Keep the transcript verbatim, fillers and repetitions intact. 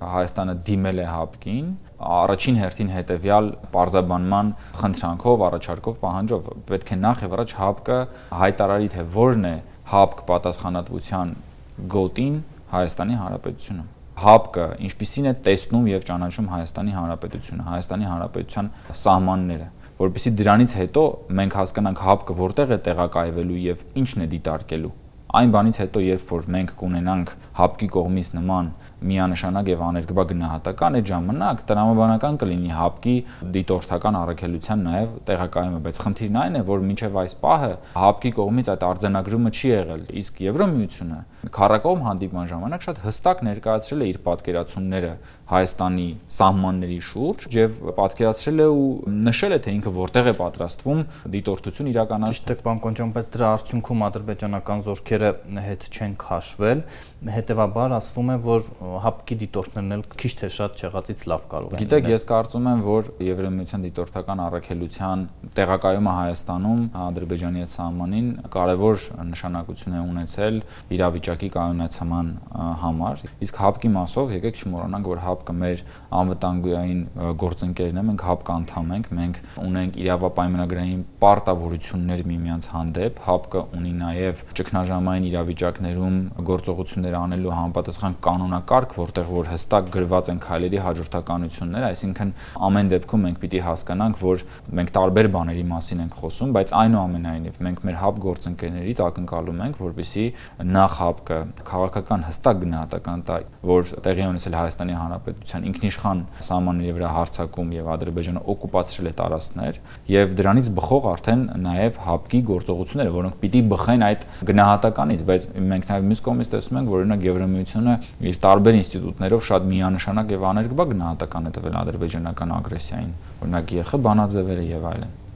Հայաստանը դիմել է ՀԱՊԿ-ին, առաջին հերթին հետևյալ պարզաբանման խնդրանքով, առաջարկով, պահանջով պետք է նախ եւ առաջ ՀԱՊԿ-ը հայտարարի, թե որն է ՀԱՊԿ պատասխանատվության գոտին Հայաստանի Հանրապետությունը։ ՀԱՊԿ-ը ինչպիսին է տեսնում եւ ճանաչում Հայաստանի Հանրապետությունը, Հայաստանի Հանրապետության սահմանները, որովհետեւ դրանից հետո մենք հասկանանք ՀԱՊԿ-ը որտեղ է տեղակայվելու եւ ինչն է դիտարկելու։ Այն բանից հետո, երբ որ մենք կունենանք ՀԱՊԿ-ի կողմից նման միանշանակ եւ աներկբա գնահատական, այդ ժամանակ տրամաբանական կլինի ՀԱՊԿ-ի դիտորդական առաքելության նաեւ տեղակայումը, բայց խնդիրն այն է, որ մինչեւ այս պահը ՀԱՊԿ-ի կողմից այդ արձանագրումը չի եղել, իսկ Եվրամիությունը քառակողմ հանդիպման ժամանակ շատ հստակ ներկայացրել է իր պատկերացումները Հայաստանի սահմանների շուրջ եւ պատկերացրել է ու նշել է, թե ինքը որտեղ է պատրաստվում դիտորդություն իրականացնել։ Ճիշտ է, պարոն Կոնչյան, բայց դրա արդյունքում ադրբեջանական զորքերը հետ չեն քաշվել, հետեւաբար ասվում է, որ ՀԱՊԿ-ի դիտորդներն էլ քիչ թե շատ չեղածից լավ կարող են։ Գիտեք, ես կարծում եմ, որ Եվրամիության դիտորդական առաքելության տեղակայումը Հայաստանում Ադրբեջանի հետ սահմանին կարևոր նշանակություն է ունեցել իրավիճակի կայունացման համար, իսկ ՀԱՊԿ-ի մասով եկեք չմոռանանք, որ ՀԱՊԿ-ը մեր անվտանգային գործընկերն է, մենք ՀԱՊԿ անդամ ենք, մենք ունենք իրավապայմանագրային պարտավորություններ միմյանց հանդեպ, ՀԱՊԿ-ը ունի նաև ճգնաժամային իրավիճակներում գործողություններ անելու համապատասխան կանոնակարգ, որտեղ որ հստակ գրված են քայլերի հաջորդականությունները, այսինքն ամեն դեպքում մենք պիտի հասկանանք, որ մենք տարբեր բաների մասին ենք խոսում, բայց այնուամենայնիվ մենք մեր ՀԱՊԿ գործընկերներից ակնկալում ենք, որպեսզի նախ ՀԱՊԿ-ը քաղաքական հստակ գնահատական տա, որ տեղի ունեցել Հայաստանի Հանրապետության ինքնիշխան սահմանների վրա հարձակում եւ Ադրբեջանը օկուպացրել է տարածքներ եւ դրանից բխող արդեն նաեւ ՀԱՊԿ-ի գործողությունները, որոնք պիտի բխեն այդ գնահատականից, բայց մենք նաեւ մյուս կողմից տեսնում ենք, որ օրինակ Եվրամիությունը իր տարբեր ինստիտուտներով շատ միանշանակ եւ աներկբա գնահատական է տվել ադրբեջանական ագրեսիային, օրինակ ԵԽ բանաձևերը եւ այլն։